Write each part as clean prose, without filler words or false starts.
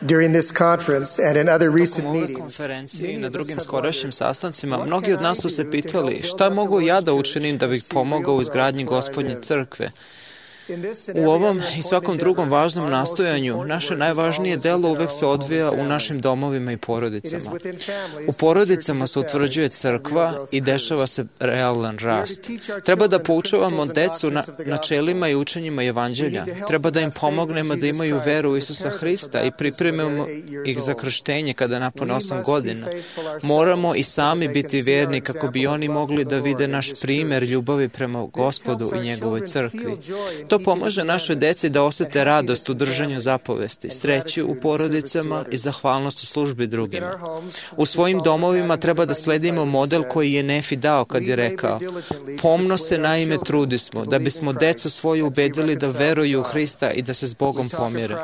During this conference and in other recent Tokom ove meetings, konferencije i na drugim skorašnjim sastancima, mnogi od nas su se pitali šta mogu ja da učinim da bih pomogao u izgradnji Gospodnje crkve. U ovom i svakom drugom važnom nastojanju, naše najvažnije delo uvek se odvija u našim domovima i porodicama. U porodicama se utvrđuje crkva i dešava se realan rast. Treba da poučavamo decu na načelima i učenjima evanđelja. Treba da im pomognemo da imaju veru u Isusa Hrista i pripremimo ih za krštenje kada napune 8 godina. Moramo i sami biti verni kako bi oni mogli da vide naš primer ljubavi prema Gospodu i njegovoj crkvi. To pomaže našoj deci da osete radost u držanju zapovesti, sreću u porodicama i zahvalnost u službi drugima. U svojim domovima treba da sledimo model koji je Nefi dao kad je rekao: pomno se naime trudismo, da bismo decu svoju ubedili da veruju u Hrista i da se s Bogom pomire.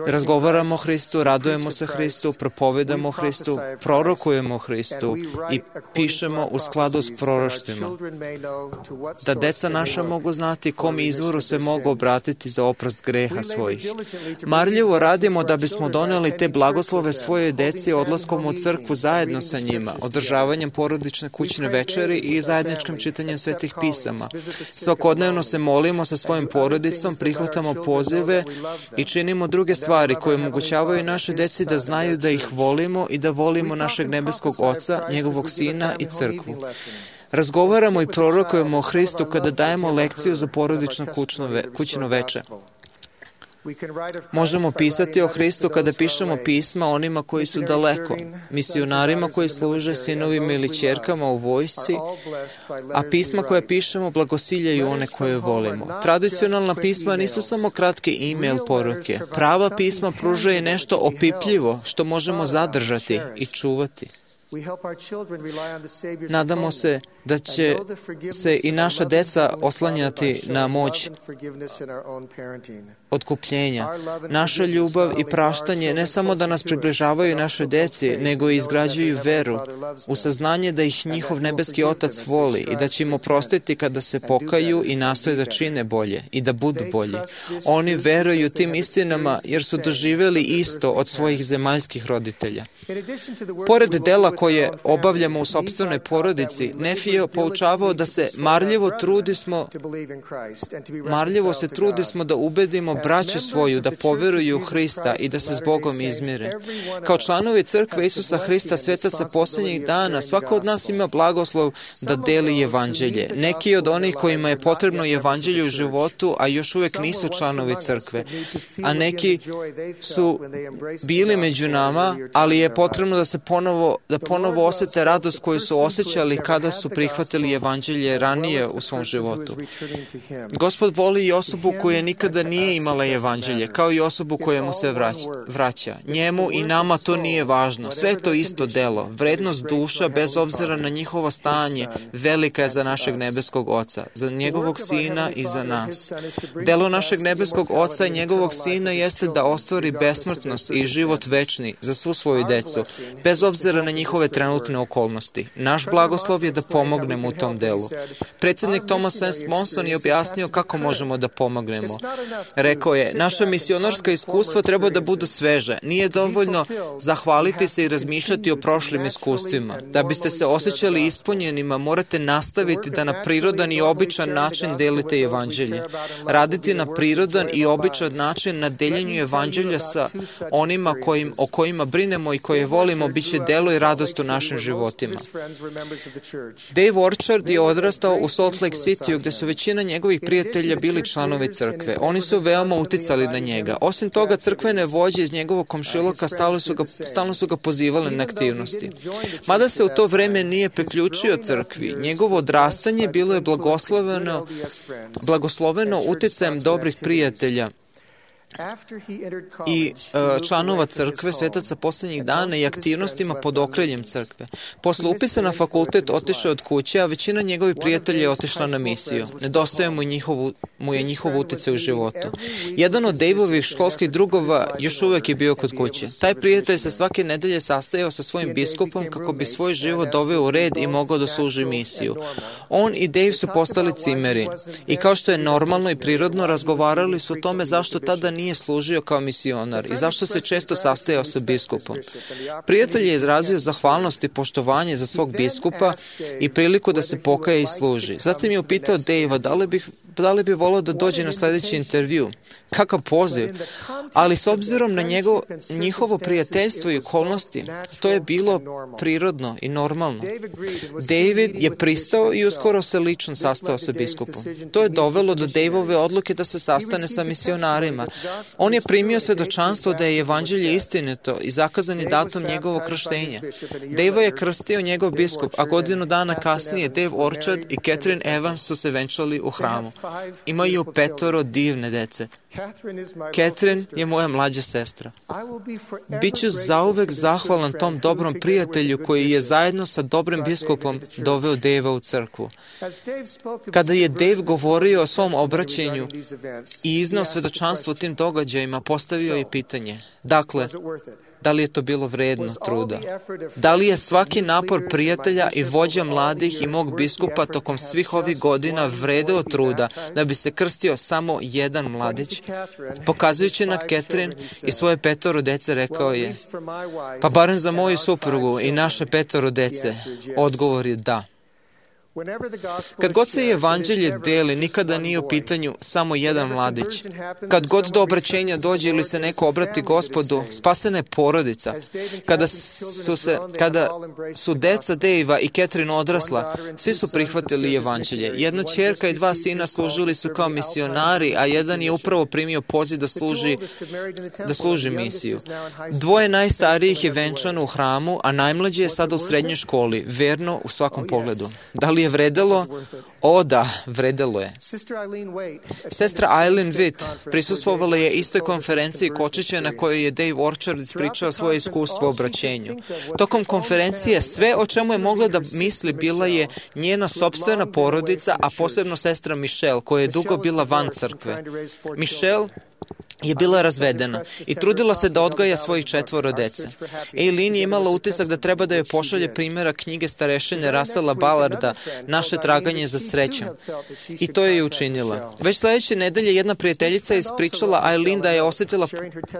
Razgovaramo o Hristu, radujemo se Hristu, propovedamo o Hristu, prorokujemo o Hristu i pišemo u skladu s proroštvima. Da deca naša mogu znati kom izvoru se mogu obratiti za oprost greha svojih. Marljivo radimo da bismo doneli te blagoslove svojoj deci odlaskom u crkvu zajedno sa njima, održavanjem porodične kućne večeri i zajedničkim čitanjem svetih pisama. Svakodnevno se molimo sa svojim porodicom, prihvatamo pozive i činimo druge stvari koje omogućavaju našoj deci da znaju da ih volimo i da volimo našeg nebeskog Oca, njegovog Sina i crkvu. Razgovaramo i prorokujemo o Hristu kada dajemo lekciju za porodično kućno veče. Možemo pisati o Hristu kada pišemo pisma onima koji su daleko, misionarima koji služe, sinovima ili ćerkama u vojsci, a pisma koje pišemo blagosiljaju one koje volimo. Tradicionalna pisma nisu samo kratke e-mail poruke. Prava pisma pružaju nešto opipljivo što možemo zadržati i čuvati. Nadamo se da će se i naša deca oslanjati na moć otkupljenja. Naša ljubav i praštanje ne samo da nas približavaju našoj deci, nego i izgrađuju veru u saznanje da ih njihov nebeski Otac voli i da će im oprostiti kada se pokaju i nastoje da čine bolje i da budu bolji. Oni veruju tim istinama jer su doživeli isto od svojih zemaljskih roditelja. Pored dela koje obavljamo u sopstvenoj porodici, Nefi je poučavao da se marljivo se trudismo da ubedimo braću svoju da poveruju u Hrista i da se s Bogom izmire. Kao članovi crkve Isusa Hrista, svetaca posljednjih dana, svako od nas ima blagoslov da deli evanđelje. Neki od onih kojima je potrebno evanđelje u životu, a još uvek nisu članovi crkve. A neki su bili među nama, ali je potrebno da ponovo osete radost koju su osjećali kada su prihvatili evanđelje ranije u svom životu. Gospod voli i osobu koja nikada nije imala evanđelje, kao i osobu koja mu se vraća. Njemu i nama to nije važno. Sve je to isto delo. Vrednost duša, bez obzira na njihovo stanje, velika je za našeg nebeskog Oca, za njegovog Sina i za nas. Delo našeg nebeskog Oca i njegovog Sina jeste da ostvari besmrtnost i život večni za svu svoju decu, bez obzira na njihove trenutne okolnosti. Naš blagoslov je da pomognemo u tom delu. Predsjednik Thomas S. Monson je objasnio kako možemo da pomognemo. Rekao je: naša misionarska iskustva treba da budu sveže. Nije dovoljno zahvaliti se i razmišljati o prošlim iskustvima. Da biste se osjećali ispunjenima, morate nastaviti da na prirodan i običan način delite evanđelje. Raditi na prirodan i običan način na deljenju evanđelja sa onima o kojima brinemo i koje volimo biće delo i radost u našim životima. Dave Orchard je odrastao u Salt Lake City, gde su većina njegovih prijatelja bili članovi crkve. Oni su veoma uticali na njega. Osim toga, crkvene vođe iz njegovog komšiluka stalno su ga pozivali na aktivnosti. Mada se u to vreme nije priključio crkvi, njegovo odrastanje bilo je blagosloveno uticajem dobrih prijatelja i članova crkve, svetaca posljednjih dana i aktivnostima pod okriljem crkve. Posle upisa na fakultet otišao od kuće, a većina njegovih prijatelja je otišla na misiju. Nedostaje mu je njihov uticaj u životu. Jedan od Daveovih školskih drugova još uvek je bio kod kuće. Taj prijatelj se svake nedelje sastajao sa svojim biskupom kako bi svoj život doveo u red i mogao da služi misiju. On i Dave su postali cimeri i kao što je normalno i prirodno, razgovarali su o tome zašto tada nije služio kao misionar i zašto se često sastajao sa biskupom. Prijatelj je izrazio zahvalnost i poštovanje za svog biskupa i priliku da se pokaje i služi. Zatim je upitao Dejva da li bi volao da dođe na sljedeći intervju. Kakav poziv! Ali s obzirom na njihovo prijateljstvo i okolnosti, to je bilo prirodno i normalno. David je pristao i uskoro se lično sastao sa biskupom. To je dovelo do Dejvove odluke da se sastane sa misionarima. On je primio svedočanstvo da je evanđelje istinito i zakazan je datum njegovog krštenja. Dejva je krstio njegov biskup, a godinu dana kasnije Dave Orchard i Catherine Evans su se venčali u hramu. Imaju 5 divne dece. Catherine je moja mlađa sestra. Biću zauvek zahvalan tom dobrom prijatelju koji je zajedno sa dobrim biskupom doveo Davea u crkvu. Kada je Dave govorio o svom obraćenju i iznao svedočanstvo o tim događajima, postavio je pitanje. Dakle, da li je to bilo vredno truda? Da li je svaki napor prijatelja i vođa mladih i mog biskupa tokom svih ovih godina vredeo truda da bi se krstio samo jedan mladić? Pokazujući na Catherine i svoje 5 dece, rekao je, pa barem za moju suprugu i naše 5 dece, odgovor je da. Kad god se evanđelje deli, nikada nije u pitanju samo jedan mladić. Kad god do obraćenja dođe ili se neko obrati Gospodu, spasena je porodica. Kada su deca Davea i Catherine odrasla, svi su prihvatili evanđelje. Jedna ćerka i 2 sina služili su kao misionari, a jedan je upravo primio poziv da služi misiju. 2 najstarijih je venčano u hramu, a najmlađi je sada u srednjoj školi, verno u svakom pogledu. Da li je vredelo? O da, vredelo je. Sestra Eileen Witt prisustvovala je istoj konferenciji Kočića na kojoj je Dave Orchard ispričao svoje iskustvo u obraćenju. Tokom konferencije sve o čemu je mogla da misli bila je njena sopstvena porodica, a posebno sestra Michelle, koja je dugo bila van crkve. Michelle je bila razvedena i trudila se da odgaja svojih 4 dece. Eileen je imala utisak da treba da joj pošalje primjera knjige starešine Russella Ballarda Naše traganje za srećom. I to je učinila. Već sljedeće nedelje jedna prijateljica je ispričala Eileen da je osjetila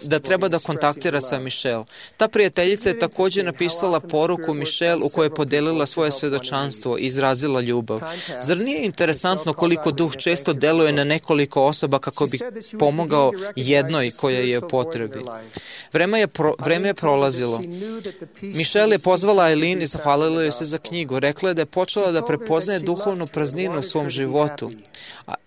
da treba da kontaktira sa Michelle. Ta prijateljica je također napisala poruku Michelle u kojoj je podelila svoje svedočanstvo i izrazila ljubav. Zar nije interesantno koliko duh često deluje na nekoliko osoba kako bi pomogao jednoj koja je u potrebi? Vreme je prolazilo. Michelle je pozvala Eileen i zahvalila joj se za knjigu. Rekla je da je počela da prepoznaje duhovnu prazninu u svom životu.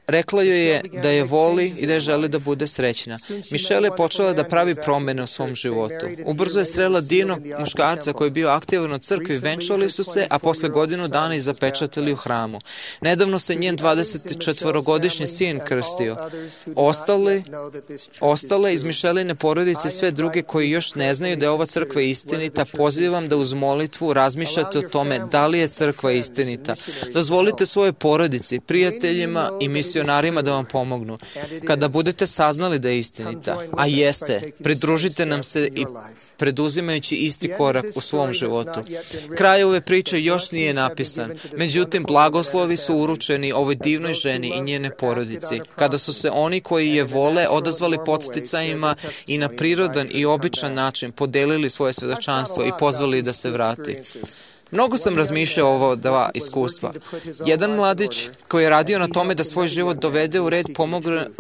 Rekla joj je da je voli i da je želi da bude srećna. Michelle je počela da pravi promene u svom životu. Ubrzo je srela divnog muškarca koji je bio aktivan u crkvi, venčali su se, a posle godinu dana i zapečatili u hramu. Nedavno se njen 24-godišnji sin krstio. Ostale iz Micheline porodice, sve druge koji još ne znaju da je ova crkva istinita, pozivam da uz molitvu razmišljate o tome da li je crkva istinita. Dozvolite svoje porodici, prijateljima i misionarima da vam pomognu. Kada budete saznali da je istinita, a jeste, pridružite nam se i preduzimajući isti korak u svom životu. Kraj ove priče još nije napisan, međutim blagoslovi su uručeni ovoj divnoj ženi i njene porodici, kada su se oni koji je vole odazvali podsticajima i na prirodan i običan način podelili svoje svedočanstvo i pozvali da se vrati. Mnogo sam razmišljao o ovo 2 iskustva. Jedan mladić koji je radio na tome da svoj život dovede u red,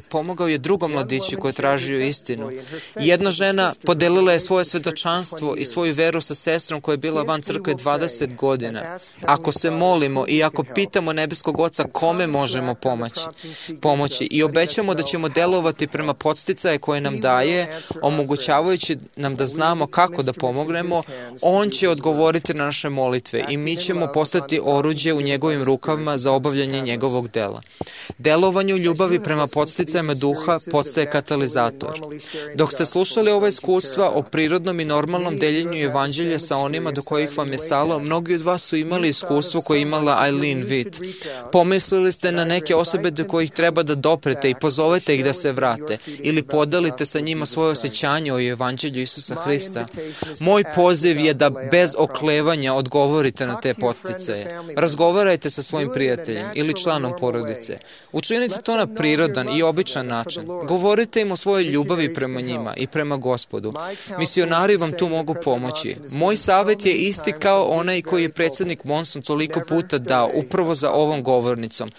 pomogao je drugom mladiću koji je tražio istinu. Jedna žena podelila je svoje svedočanstvo i svoju veru sa sestrom koja je bila van crkve 20 godina. Ako se molimo i ako pitamo nebeskog Oca kome možemo pomoći i obećamo da ćemo delovati prema podsticaje koje nam daje, omogućavajući nam da znamo kako da pomognemo, On će odgovoriti na naše molitve i mi ćemo postati oruđe u njegovim rukama za obavljanje njegovog dela. Delovanje u ljubavi prema podsticajima duha postaje katalizator. Dok ste slušali ova iskustva o prirodnom i normalnom deljenju evanđelja sa onima do kojih vam je stalo, mnogi od vas su imali iskustvo koje je imala Eileen Witt. Pomislili ste na neke osobe do kojih treba da doprete i pozovete ih da se vrate ili podelite sa njima svoje osjećanje o evanđelju Isusa Hrista. Moj poziv je da bez oklevanja odgovorite odgovorite na te podsticaje. Razgovarajte sa svojim prijateljem ili članom porodice. Učinite to na prirodan i običan način. Govorite im o svojoj ljubavi prema njima i prema Gospodu. Misionari vam tu mogu pomoći. Moj savjet je isti kao onaj koji je predsjednik Monson toliko puta dao, upravo za ovom govornicom.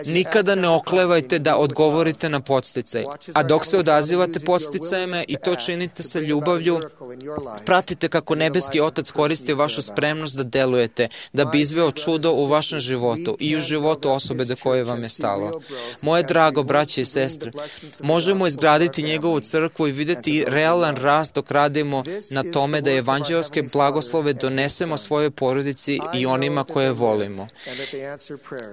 Nikada ne oklevajte da odgovorite na podsticaj. A dok se odazivate podsticajima i to činite sa ljubavlju, pratite kako nebeski Otac koristi vašu spremnost da delujete, da bi izveo čudo u vašem životu i u životu osobe do koje vam je stalo. Moje drago braće i sestre, možemo izgraditi njegovu crkvu i vidjeti realan rast dok radimo na tome da evanđelske blagoslove donesemo svojoj porodici i onima koje volimo.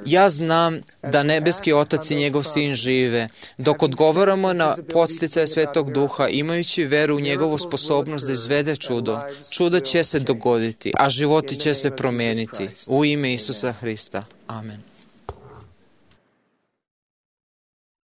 Ja znam da nebeski Otac i njegov Sin žive. Dok odgovaramo na podsticaje Svetog Duha, imajući veru u njegovu sposobnost da izvede čudo, čuda će se dogoditi, a životi će se promijeniti. U ime Isusa Hrista. Amen.